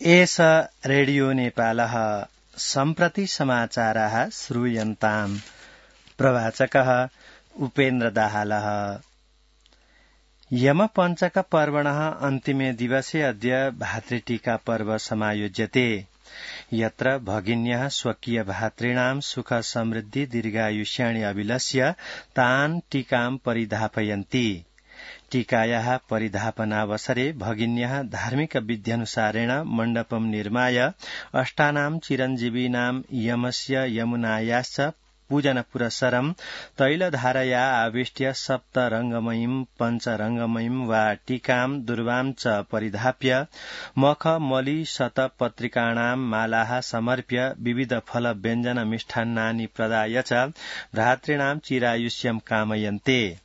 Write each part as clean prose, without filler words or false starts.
एष रेडियो नेपालः सम्प्रति समाचाराः श्रूयन्ताम्। प्रवाचकः उपेन्द्र दाहालः। यमपञ्चक पर्वणः अन्तिमे दिवसे अद्य भातृटीका पर्व समायोज्यते। यत्र भगिन्यः स्वकीय भातॄणां सुख समृद्धि दीर्घायुष्याणि अभिलष्य तान् टीकां परिधापयन्ति। टीकायाः परिधापनावसरे भगिन्यः धार्मिक विध्यनुसारेण मण्डपं निर्माय अष्टानां चिरञ्जीविनां यमस्य यमुनायाश्च पूजनपुरस्सरं तैलधारया आविष्ट्य सप्तरङ्गमयीं पञ्चरङ्गमयीं वा टीकां दुर्वां च परिधाप्य मखमलिशतपत्रिकाणां मालाः समर्प्य विविध फल व्यञ्जन मिष्टान्नानि प्रदाय च भ्रातॄणां चिरायुष्यं कामयन्ते।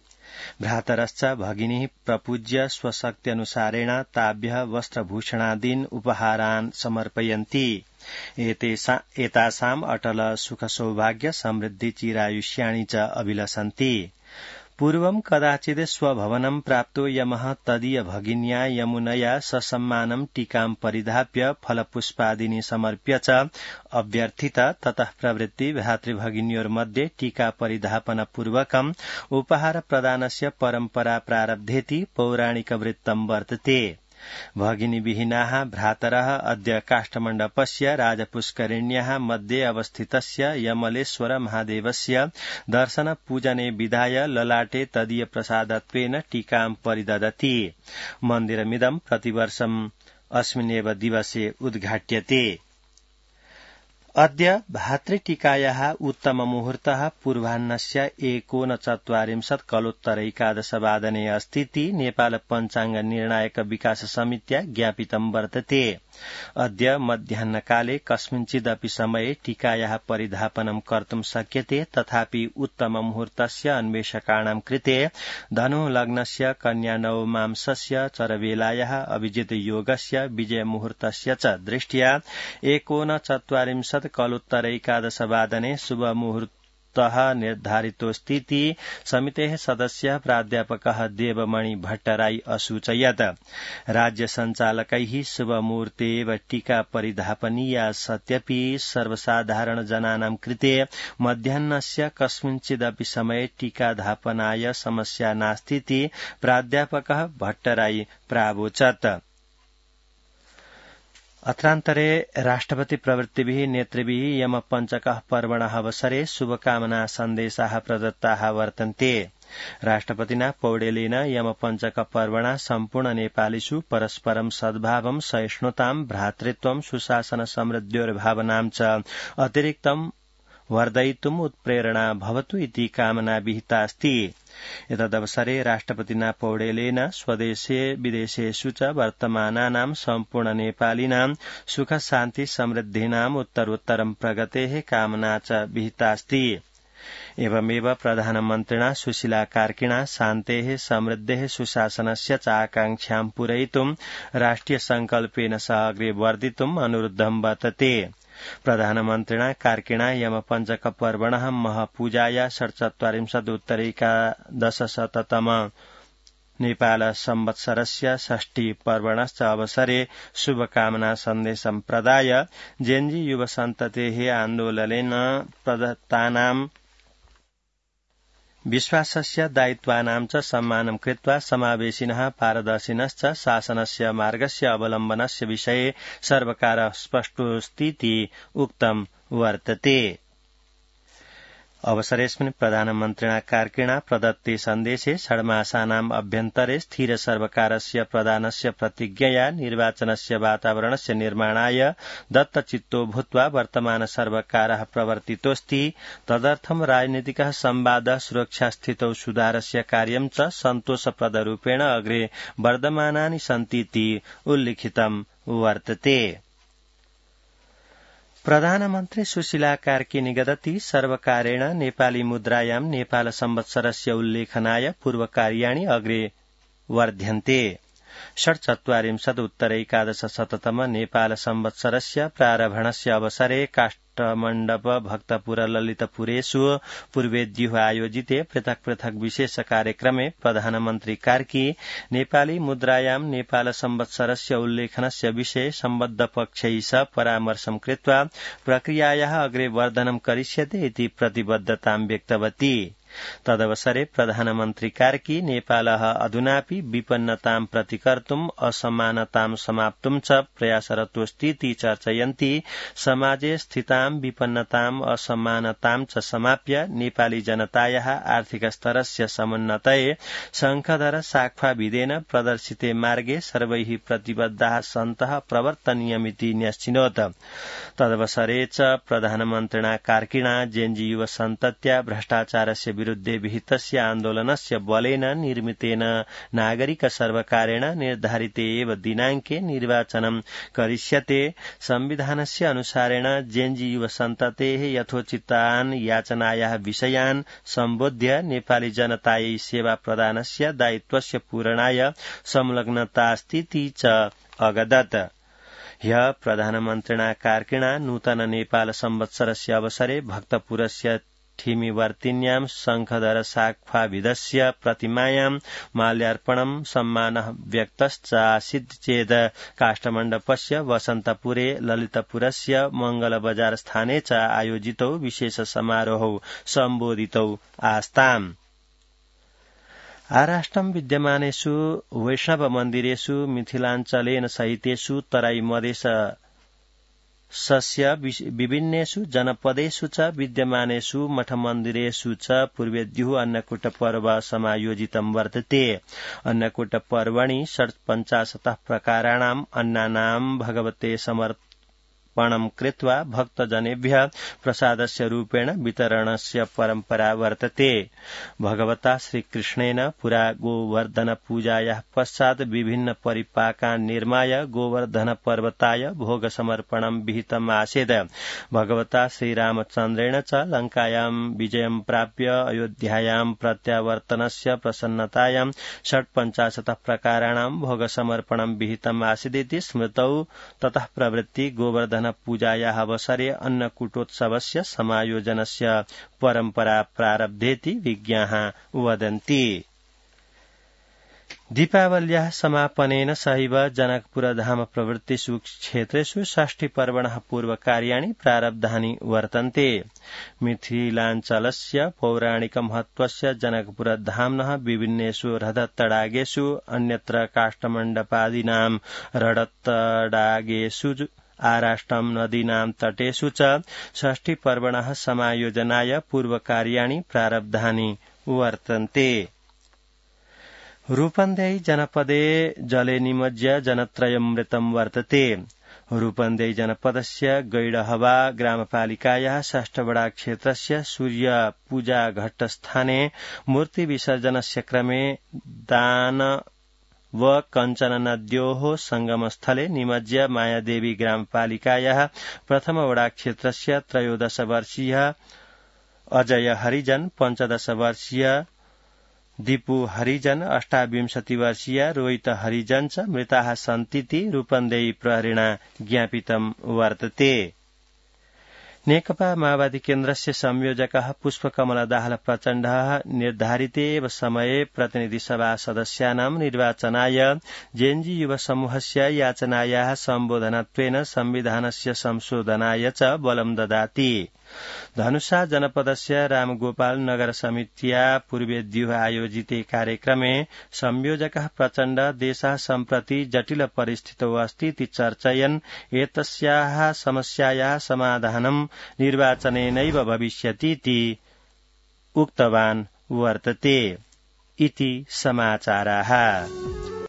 भ्रातरश्च भगिनीः प्रपूज्य स्वशक्त्यनुसारेण ताभ्यः वस्त्रभूषणादीन् उपहारान् समर्पयन्ति। एतासाम् अटल सुख सौभाग्य समृद्धि चिरायुष्याणि च अभिलषन्ति। पूर्वं कदाचित् स्वभवनं प्राप्तो यमः तदीय भगिन्या यमुनया ससम्मानं टीकां परिधाप्य फलपुष्पादीनि समर्प्य च अभ्यर्थित। ततः प्रवृत्ति भ्रातृभगिन्योर्मध्ये टीका परिधापनपूर्वकम् उपहार प्रदानस्य परम्परा प्रारब्धेति पौराणिकवृत्तं वर्तते। भगिनीविहीनाः भ्रातरः अद्य काष्ठमण्डपस्य राजपुष्करिण्याः मध्ये अवस्थितस्य यमलेश्वर महादेवस्य दर्शनपूजने विधाय ललाटे तदीय प्रसादत्वेन टीकां परिदधति। मन्दिरमिदं प्रतिवर्षम् अस्मिन्नेव दिवसे उद्घाट्यते। अद्य भातृटीकायाः उत्तममुहूर्तः पूर्वाह्नस्य 19:40 कलोत्तरैकादशवादने अस्तीति नेपाल पञ्चाङ्ग निर्णायक विकास समित्या ज्ञापितं वर्तते। अद्य मध्याह्नकाले कस्मिंचिदपि समये टीकायाः परिधापनं कर्तुं शक्यते। तथापि उत्तममुहूर्तस्य अन्वेषकाणां कृते धनु लग्नस्य कन्या नवमांसस्य चरवेलायाः अभिजित योगस्य विजयमुहूर्तस्य च दृष्ट्या 19:40 कलोत्तरैकादशवादने शुभमुहूर्तः निर्धारितोऽस्तीति समितेः सदस्यः प्राध्यापकः देवमणि भट्टराई असूचयत्। राज्यसञ्चालकैः शुभमुहूर्ते एव टीका परिधापनीया सत्यपि सर्वसाधारण जनानां कृते मध्याह्नस्य कस्मिंचिदपि समये टीकाधापनाय समस्या नास्तीति प्राध्यापकः भट्टराई प्रावोचत्। अत्रान्तरे राष्ट्रपति प्रवृत्तिभिः नेतृभिः यमपञ्चकः पर्वणः अवसरे शुभकामना सन्देशाः प्रदत्ताः वर्तन्ते। राष्ट्रपतिना पौडेलेन यमपञ्चक पर्वणा सम्पूर्ण नेपालीषु परस्परं सद्भावं सहिष्णुतां भ्रातृत्वं सुशासन समृद्ध्योर्भावनां च अतिरिक्तं वर्धयितुम् उत्प्रेरणा भवतु इति कामना विहितास्ति। एतदवसरे राष्ट्रपतिना पौडेलेन स्वदेशे विदेशेषु च वर्तमानानां सम्पूर्ण नेपालिनां सुख शान्ति समृद्धीनाम् उत्तरोत्तरं प्रगतेः कामना च विहितास्ति। एवमेव प्रधानमन्त्रिणा सुशीला कार्किणा शान्तेः समृद्धेः सुशासनस्य च आकाङ्क्षां पूरयितुं राष्ट्रिय संकल्पेन सह अग्रे वर्धितुम् अनुरुद्धं वर्तते। प्रधानमन्त्रिणा कार्किणा यमपञ्चक पर्वणः महपूजाया 47 नेपाल संवत्सरस्य षष्ठी पर्वणश्च अवसरे शुभकामना सन्देशं प्रदाय जेन्जी युवसन्ततेः आन्दोलनेन प्रदत्तानां विश्वासस्य दायित्वानां च सम्मानं कृत्वा समावेशिनः पारदर्शिनश्च शासनस्य मार्गस्य अवलम्बनस्य विषये सर्वकारः स्पष्टोऽस्तीति उक्तं वर्तते। अवसरेऽस्मिन् प्रधानमन्त्रिणा कार्किणा प्रदत्ते सन्देशे षड्मासानाम् अभ्यन्तरे स्थिर सर्वकारस्य प्रदानस्य प्रतिज्ञया निर्वाचनस्य वातावरणस्य निर्माणाय दत्तचित्तो भूत्वा वर्तमान सर्वकारः प्रवर्तितोऽस्ति। तदर्थं राजनीतिकः संवादः सुरक्षास्थितौ सुधारस्य कार्यं च सन्तोषप्रदरूपेण अग्रे वर्धमानानि सन्तीति उल्लिखितं वर्तते। प्रधानमन्त्री सुशीला कार्की निगदति सर्वकारेण नेपाली मुद्रायां नेपाल संवत्सरस्य उल्लेखनाय पूर्वकार्याणि अग्रे वर्ध्यन्ते। षट्चत्वारिंशदुत्तरैकादशशततम नेपाल संवत्सरस्य प्रारम्भणस्य अवसरे काष्ठमण्डप भक्तपुर ललितपुरेषु पूर्वेद्युः आयोजिते पृथक् पृथक् विशेष कार्यक्रमे प्रधानमन्त्री कार्की नेपाली मुद्रायां नेपाल संवत्सरस्य उल्लेखनस्य विषये सम्बद्धपक्षैः सह परामर्शं कृत्वा प्रक्रियायाः अग्रे वर्धनं करिष्यते इति प्रतिबद्धतां व्यक्तवती। तदवसरे प्रधानमन्त्री कार्की नेपालः अधुनापि विपन्नतां प्रतिकर्तुम् असमानतां समाप्तुं च प्रयासरतोऽस्तीति चर्चयन्ती समाजे स्थितां विपन्नताम् असमानतां च समाप्य नेपाली जनतायाः आर्थिक स्तरस्य समुन्नतये शंखधर शाखा प्रदर्शिते मार्गे सर्वैः प्रतिबद्धाः सन्तः प्रवर्तनीयमिति न्यश्चिनोत्। तदवसरे च प्रधानमन्त्रिणा कार्किणा जेन्जी युव सन्तत्या भ्रष्टाचारस्य विरुद्धे विहितस्य आन्दोलनस्य बलेन निर्मितेन नागरिक सर्वकारेण निर्धारिते एव दिनाङ्के निर्वाचनं करिष्यते। संविधानस्य अनुसारेण जेन्जी युव सन्ततेः यथोचितान् याचनायाः विषयान् सम्बोध्य नेपाली जनतायै सेवा प्रदानस्य दायित्वस्य पूरणाय संलग्नतास्तीति च अगदत्। ह्यः प्रधानमन्त्रिणा कार्किणा नूतन नेपाल संवत्सरस्य अवसरे भक्तपुरस्य ठिमीवर्तिन्यां शंखधर शाखाविधस्य प्रतिमायां माल्यार्पणं सम्मानः व्यक्तश्चासीत् चेत् काष्ठमण्डपस्य वसन्तपुरे ललितपुरस्य मंगलबजार स्थाने च आयोजितौ विशेष समारोहौ सम्बोधितौ आस्ताम्। आराष्ट्रं विद्यमानेषु वैष्णव मन्दिरेषु मिथिलाञ्चलेन सहितेषु तराई मधेशस्य विभिन्नेषु जनपदेषु च विद्यमानेषु मठमन्दिरेषु च पूर्वेद्युः अन्नकूट पर्व समायोजितं वर्तते। अन्नकूट पर्वणि 50 प्रकाराणाम् अन्नानां भगवते समर्पणं कृत्वा भक्तजनेभ्यः प्रसादस्य रूपेण वितरणस्य परम्परा वर्तते। भगवता श्रीकृष्णेन पुरा गोवर्धन पूजायाः पश्चात् विभिन्न परिपाकान् निर्माय गोवर्धन पर्वताय भोग समर्पणं विहितम् आसीत्। भगवता श्रीरामचन्द्रेण च लङ्कायां विजयं प्राप्य अयोध्यायां प्रत्यावर्तनस्य प्रसन्नतायां 50 प्रकाराणां भोग समर्पणं विहितम् आसीदिति स्मृतौ। ततः प्रवृत्ति गोवर्धन पूजायाः अवसरे अन्नकूटोत्सवस्य समायोजनस्य परम्परा प्रारब्धेति विज्ञाः वदन्ति। दीपावल्याः समापनेन सहैव जनकपुरधाम प्रवृत्तिषु क्षेत्रेषु षष्ठीपर्वणः पूर्वकार्याणि प्रारब्धानि वर्तन्ते। मिथिलाञ्चलस्य पौराणिकमहत्त्वस्य जनकपुरधाम्नः विभिन्नेषु हृदतडागेषु अन्यत्र काष्ठमण्डपादीनां रडतडागेषु आराष्ट्रं नदीनां तटेषु च षष्ठीपर्वणः समायोजनाय पूर्वकार्याणि प्रारब्धानि वर्तन्ते। रूपन्देही जनपदे जले निमज्य जनत्रयमृतं वर्तते। रूपन्देही जनपदस्य गैडहवा ग्रामपालिकायाः षष्ठवडा क्षेत्रस्य सूर्यपूजाघट्टस्थाने मूर्तिविसर्जनस्य क्रमे दान व कञ्चन नद्योः संगमस्थले निमज्य मायादेवी ग्रामपालिकायाः प्रथमवडा क्षेत्रस्य 13 वर्षीय अजय हरिजन, 15 वर्षीय दीपू हरिजन, 28 वर्षीय रोहित हरिजन च मृताः सन्तीति रूपन्देही प्रहरिणा ज्ञापितं वर्तते। नेकपा माओवादी केन्द्रस्य संयोजकः पुष्पकमल दाहाल प्रचण्डः निर्धारिते एव समये प्रतिनिधिसभा सदस्यानां निर्वाचनाय जेएनजी युव समूहस्य याचनायाः सम्बोधनत्वेन संविधानस्य संशोधनाय च बलं ददाति। धनुषा जनपदस्य रामगोपाल नगर समित्या पूर्वेद्युः आयोजिते कार्यक्रमे संयोजकः प्रचण्ड देशः सम्प्रति जटिल परिस्थितौ अस्तीति चर्चयन् एतस्याः समस्यायाः समाधानं निर्वाचनेनैव भविष्यतीति उक्तवान् वर्तते। इति समाचाराः।